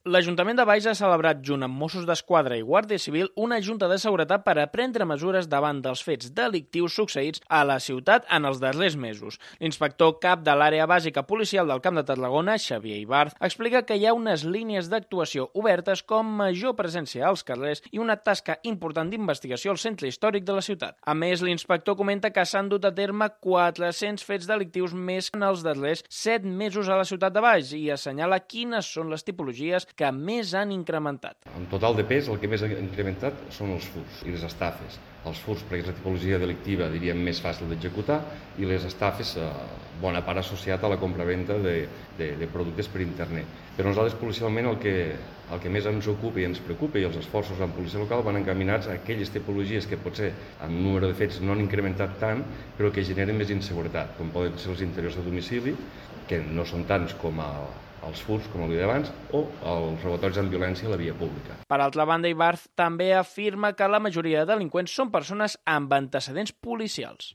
L'Ajuntament de Valls ha celebrat, junt amb Mossos d'Esquadra i Guàrdia Civil, una junta de seguretat per a prendre mesures davant dels fets delictius succeïts a la ciutat en els darrers mesos. L'inspector cap de l'àrea bàsica policial del Camp de Tarragona, Xavier Ibarz, explica que hi ha unes línies d'actuació obertes com major presència als carrers i una tasca important d'investigació al centre històric de la ciutat. A més, l'inspector comenta que s'han dut a terme 400 fets delictius més en els darrers 7 mesos a la ciutat de Valls i assenyala quines són les tipologies que més han incrementat. En total de pes, el que més ha incrementat són els furts i les estafes. Els furts, perquè és la tipologia delictiva, diríem, més fàcil d'executar, i les estafes, bona part associat a la compravenda de productes per internet. Però nosaltres, policialment, el que més ens ocupa i ens preocupa, i els esforços en policia local van encaminats a aquelles tipologies que potser en número de fets no han incrementat tant, però que generen més inseguretat, com poden ser els interiors de domicili, que no són tants com els furts, com el dia d'abans, o els robatoris amb violència a la via pública. Per altra banda, Ibarz també afirma que la majoria de delinqüents són persones amb antecedents policials.